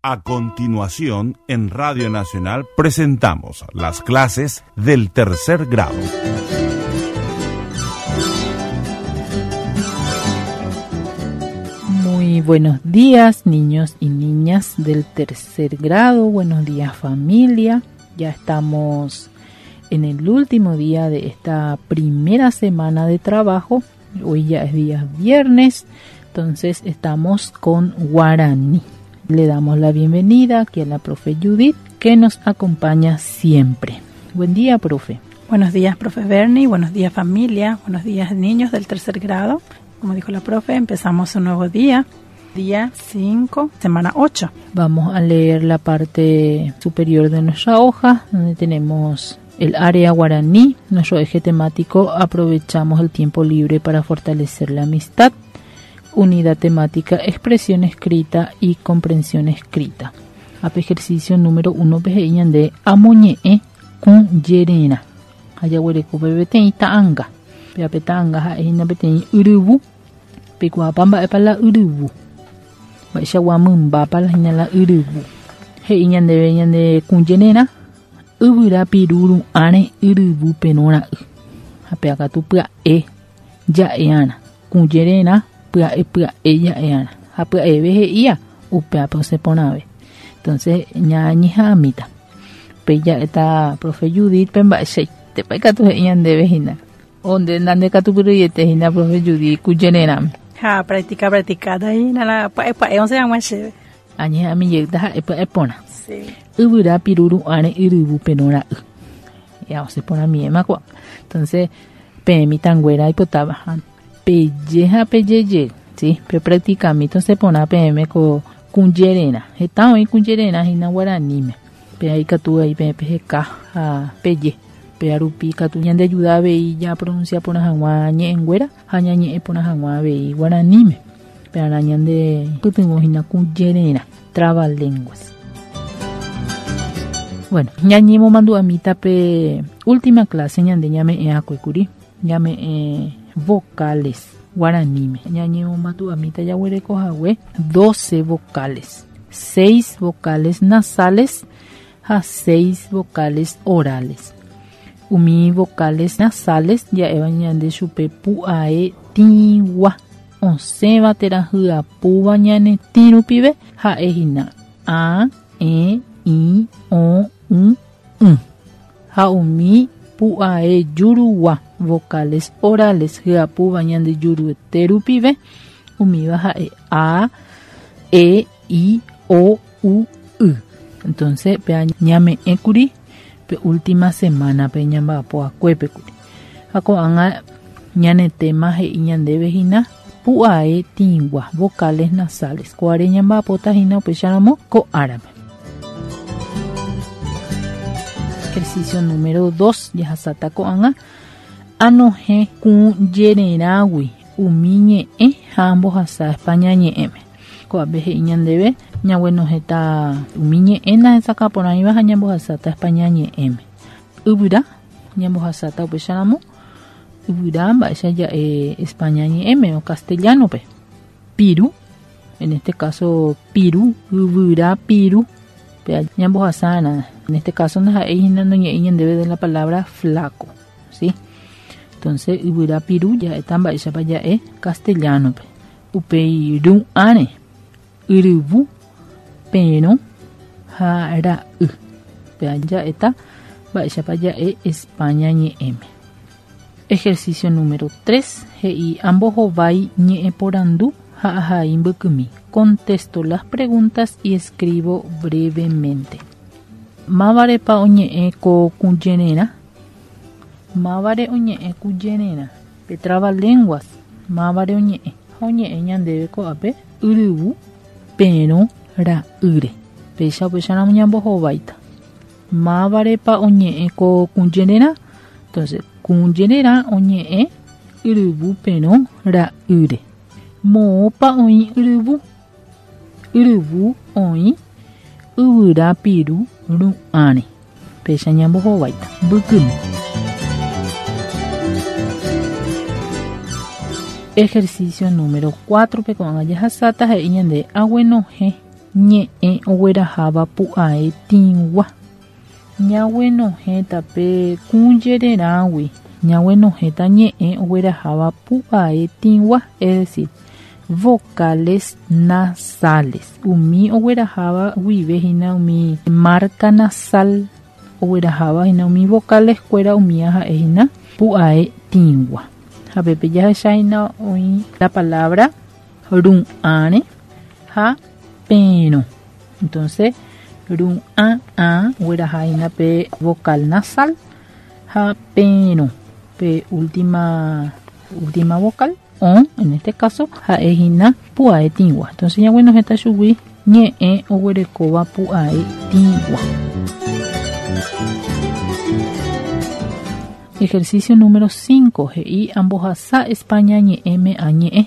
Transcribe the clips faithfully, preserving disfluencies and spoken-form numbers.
A continuación, en Radio Nacional presentamos las clases del tercer grado. Muy buenos días, niños y niñas del tercer grado. Buenos días, familia. Ya estamos en el último día de esta primera semana de trabajo. Hoy ya es día viernes, entonces estamos con guaraní. Le damos la bienvenida aquí a la profe Judith, que nos acompaña siempre. Buen día, profe. Buenos días, profe Bernie. Buenos días, familia. Buenos días, niños del tercer grado. Como dijo la profe, empezamos un nuevo día, día cinco, semana ocho. Vamos a leer la parte superior de nuestra hoja, donde tenemos el área guaraní, nuestro eje temático, aprovechamos el tiempo libre para fortalecer la amistad. Unidad temática, expresión escrita y comprensión escrita. Ape ejercicio número uno, pejeñan de amoñe con yerena. Ayahuereco bebete ta'anga. Peape ta'anga jae peteĩ yryvu. Peikuaápa mba'épa la yryvu. Mba'eichagua mymbápa hína la yryvu. He'i ñandéve ñande kũjererã yvyra piru ru'ãre yryvu perõ ra'y. Ha péakatu pya'e ja'e'arã. Kũjererã pya'e pya'e ja'e'arã. Ha pya'eve he'ía upévape osẽporãve. Entonces ñañeha'ãmíta. Pe ja'éta profe Judith pe mba'eichaitépa ikatu he'i ñandéve hína. Onde nandekatupyryete hína profe Judith kũjererãme. Ha, practica, practica, hína la pya'e pya'e osẽ hag̃ua chéve. Añeha'ãmi jeýta ha'e pya'e porã. Sí. Yvyra piru ru'ãre yryvu perõ ra'y. Ya osẽporãmiéma ko'ág̃a. Entonces peẽ mitãnguéra aipotáva ha peje ha pejejey, sí, pe practicami osẽporã peẽme ko kũjererã. Heta oĩ kũjererã hína guaraníme. Pe ikatu aí peẽ peheka ha peje. Pe rupi katu ñandeayuda avei japronuncia porã hag̃ua ñe'ẽnguéra ha ñañe'ẽ porã hag̃ua avei guaraníme. Pearã ñande pytyvõ hína kũjererã, trabalenguas. Bueno, ñañemomandu'amíta pe última clase ñande ñame'ẽ kuri, ñame'ẽ vocales guaraníme. Ñañemomandu'amíta jaguereko hague doce vocales, seis vocales nasales ha seis vocales orales. Umi vocales nasales ja'éva ñande chupe pu'ae tĩgua osẽva térã hyapúva ñane tĩ rupive ha'e hína a, e, i, o, u, ỹ. Ha umi pu'ae jurugua vocales orales hyapúva ñande juruete rupive umíva ha'e a, e, i, o, u, y. Entonces pe ñame'ẽ kuri pe última semana pe ñamba'apo'akuépe kuri. Ha ko'ág̃a ñane tema he'i ñandéve hína pu'ae tĩgua vocales nasales. Ko'áre ñamba'apóta hína upéicharamo ko árape. Ejercicio número dos, jahasáta ko'ág̃a anohẽ kũjererãgui umi ñe'ẽ ha ambohasa España ñe'ẽme. Ko'ápe he'i ñandéve ñaguenohẽta umi ñe'ẽ nahesakãporãiva ha ñambohasáta España ñe'ẽme. Yvyra ñambohasáta upéicharamo yvyra mba'éicha ja'e España ñe'ẽme o castellano-pe. Piru, en este caso piru, yvyra piru, pe ñambohasárã. En este caso ndaha'éi hína noñe'ẽi ñandéve de la palabra flaco, ¿sí? Entonces yvyra piru ja'éta mba'éichapa ja'e castellano-pe. Upéi ru'ãre yryvu perõ ha ra'y. Pe ja'éta mba'éichapa ja'e España ñe'ẽme. Ejercicio número tres, he'i ambohovái ñe'ẽporandu ha ahai mbykymi. Contesto las preguntas y escribo brevemente. Mávarepa oñe'ẽ ko kũjererã? Mávare oñe'ẽ kũjererã? Pe trabalenguas. Mávare oñe'ẽ? Ha oñe'ẽ ñandéve ko'ápe yryvu perõ ra'ýre. Péicha upéicharamo ñambohováita. Mávarepa oñe'ẽ ko kũjererã? Entonces, kũjererã oñe'ẽ yryvu perõ ra'ýre. Moõpa oĩ yryvu? Yryvu oĩ yvyra piru ru'ãre. Péicha ñambohováita. Mbykymi. Ejercicio número cuatro, pe ko'ág̃a jahasáta he'i ñande aguenohẽ Ñe'ẽ ogueraháva pu'ae tĩgua. Ñaguenohẽta pe kũjererãgui. Ñaguenohẽta ñe'ẽ ogueraháva pu'ae tĩgua, es decir, vocales nasales. Umi ogueraháva guive hína umi marca nasal ogueraháva hína umi vocales kuéra umía ha'e hína pu'ae tĩgua. Ha pépe jahecha hína oĩ la palabra ru'ãre ha perõ. Entonces, ru'ã a ogueraha hína pe vocal nasal ha perõ pe última última vocal o, en este caso, ha'e hína pu'ae tĩgua. Entonces, ñaguenohẽta chugui ñe'ẽ oguerekóva pu'ae tĩgua. Ejercicio número cinco. He'i ambohasa España ñe'ẽme añe'ẽ.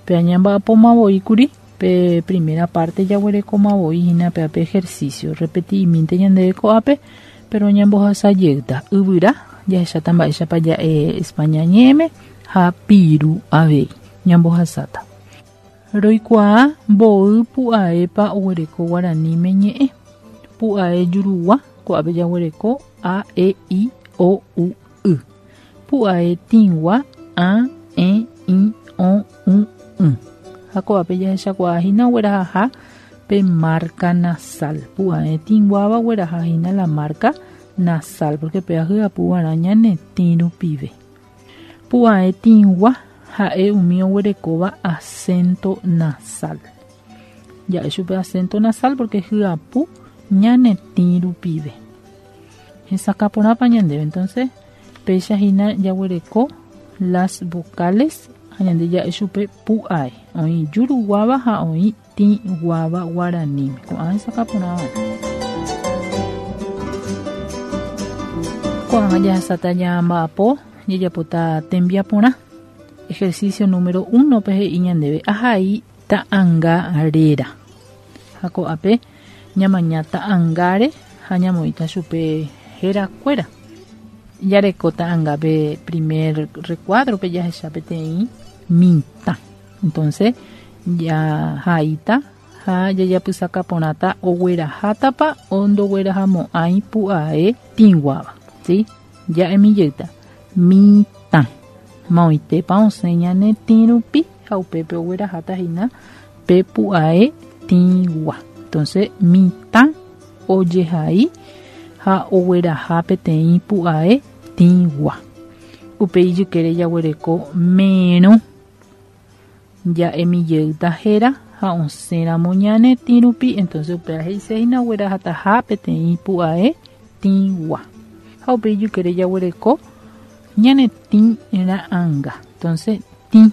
Pe añamba'apomavoíkuri pe primera parte jaguerekomavoi hína pe ape ejercicio. Repeti'imínte ñandéve ko'ápe, pero ñambohasa jeyta. Yvyra jahecháta mba'éichapa ja'e España ñe'ẽme ha piru avei ñambohasáta. Roikuaa mboy pu'aépa oguereko guaraníme ñe'ẽ. Pu'ae jurugua ko'ápe jaguereko a, e, i, o, u, y. Pu'ae tĩgua a, e, i, o, u, ỹ. Ha ko'ápe jahechakuaa hína oguerahaha pe marca nasal. Pu'ae tĩguáva ogueraha hína la marca nasal, porque pe ahy'apuva'erã ñane tĩ rupive. Pu'ae tĩgua ha'e umi oguerekóva acento nasal. Ja'e chupe acento nasal porque hy'apu ñane tĩ rupive. Hesakãporãpa ñandéve. Entonces, péicha hína jaguereko las vocales ha ñande ja'e chupe pu'ae. Oĩ juruguáva ha oĩ tĩguáva guaraníme. Ko'ã hesakãporãva. Ko'ág̃a jahasáta ñamba'apo jajapóta tembiaporã. Ejercicio número uno pe he'i ñandéve ahai ta'ãnga réra. Ha ko'ápe ñamaña ta'ãngáre ha ñamoĩta chupe herakuéra. Jareko ta'ãnga pe primer recuadro pe jahecha peteĩ mitã. Entonces jahaíta ha jajapysakaporãta oguerahátapa o ndoguerahamo'ãi pu'ae tĩguáva. ¿Sí? Ja'emi jeyta. Mitã. Maoitépa osẽ ñane tĩ rupi ha upépe ogueraháta hína pe pu'ae tĩgua. Entonces, mitã ojehai ha ogueraha peteĩ pu'ae tĩgua. Upe ijykére jaguereko merõ. Ja'emi jeyta héra ha osẽramo ñane tĩ rupi. Entonces, upéva he'ise hína oguerahataha peteĩ pu'ae tĩgua. Ha upe ijykére jaguereko ñane tĩ ra'ãnga. Entonces, tĩ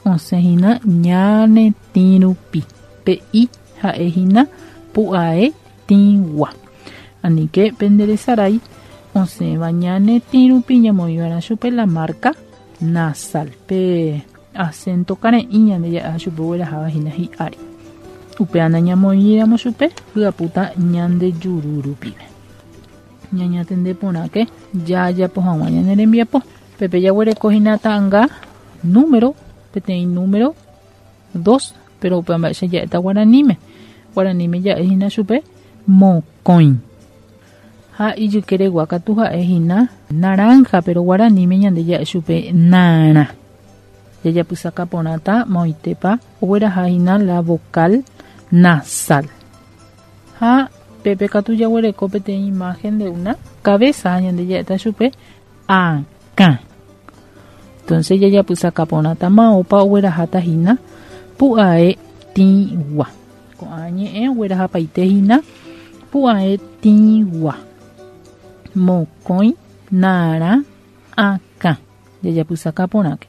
osẽ hína ñane tĩ rupi. Pe i ha'e hína pu'ae tĩgua. Anike penderesarái osẽva ñane tĩ rupi ñamoĩva'erã chupe la marca nasal. Pe acento kare'ỹ ñande ja'e chupe ogueraháva hína hi'ári. Upéva nañamoĩramo chupe hy'apúta ñande juru rupive. Ñañatende porãke jajapo hag̃ua ñane rembiapo. Pepe jaguereko hína ta'ãnga número, peteĩ número dos, pero upéva mba'éicha ja'éta guaraníme. Guaraníme ja'e hína chupe mokõi. Ha ijykeregua katu ha'e hína naranja, pero guaraníme ñande ja'e chupe narã. Jajapysakaporãta maoitépa ogueraha hína la vocal nasal. Ha pepe katu jaguereko peteĩ imagen de una cabeza ñande ja'éta chupe akã. Entonces jajapysakaporãta maópa ogueraháta hína pu'ae tĩgua. Ko'ã ñe'ẽ oguerahapaite hína pu'ae tĩgua. Mokõi, narã, akã. Jajapysakaporãke.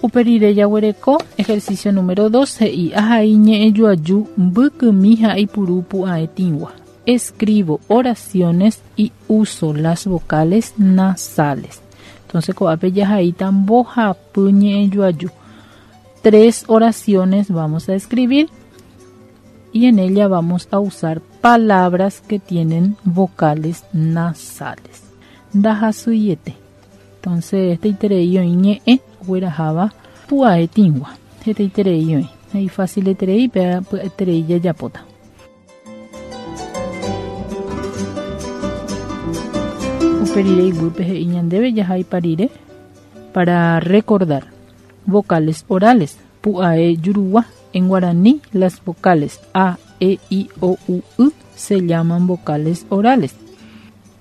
Upe rire jaguereko ejercicio número dos he'i ahai ñe'ẽ joaju mbykymi ha ipuru pu'ae tĩgua. Escribo oraciones y uso las vocales nasales. Entonces ko'ápe jahaíta mbohapy ñe'ẽ joaju. Tres oraciones vamos a escribir y en ella vamos a usar palabras que tienen vocales nasales. Ndahasýiete. Entonces, este iterei oĩ ñe'ẽ ogueraháva Pu'ae tĩgua hetaiterei oĩ ifaciliterei pe pya'eterei jajapóta. Uperire iguýpe he'i ñandéve jahaipa rire para recordar vocales orales pu'ae jurugua. En guaraní las vocales A, E, I, O, U, Y se llaman vocales orales.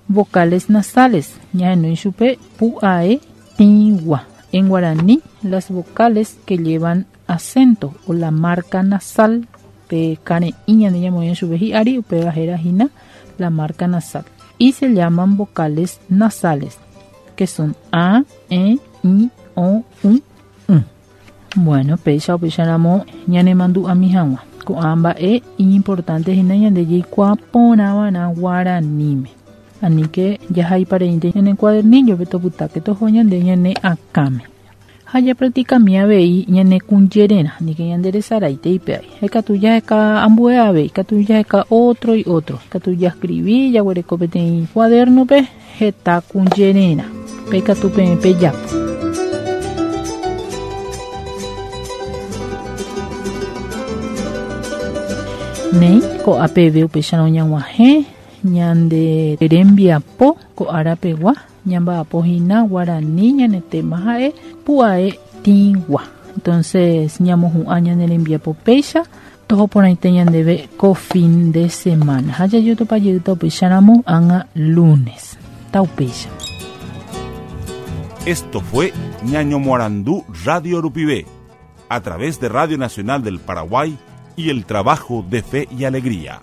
Vocales nasales ñahenói chupe pu'ae tĩgua. En guaraní las vocales que llevan acento o la marca nasal pe kare'ỹ ñande ñamoĩ chupe hi'ári upéva héra hína la marca nasal y se llaman vocales nasales que son A, E, I, O, U, U. Bueno, péicha upéicharamo ñanemandu'ami hag̃ua ko'ã mba'e iñimportante hína ñande jaikuaa porãva'erã guaraníme. Aníke jahaipareínte ñane cuadernillo-pe topytáke toho ñande ñane akãme. Ha japracticami avei ñane kũjererã aníke ñanderesaraite ipe'ái. Ikatu jaheka ambue avei, ikatu jaheka otro y otro. Ikatu jascribi jaguereko peteĩ cuaderno-pe heta kũjererã. Pe ikatu peẽ pejapo. Néi ko'ápeve upéicharõ ñag̃uahẽ ñande rembiapo ko'árapegua ñamba'apo hína guarani ñane tema ha'e pu'ae tĩgua. Entonces ñamohu'ã ñane rembiapo péicha toho porãite ñandéve ko fin de semana. Ha jajotopajeyta upéicharamo ág̃a lunes. Taupéicha. Esto fue Ñañomoarandú Radio Rupivé, a través de Radio Nacional del Paraguay y el trabajo de Fe y Alegría.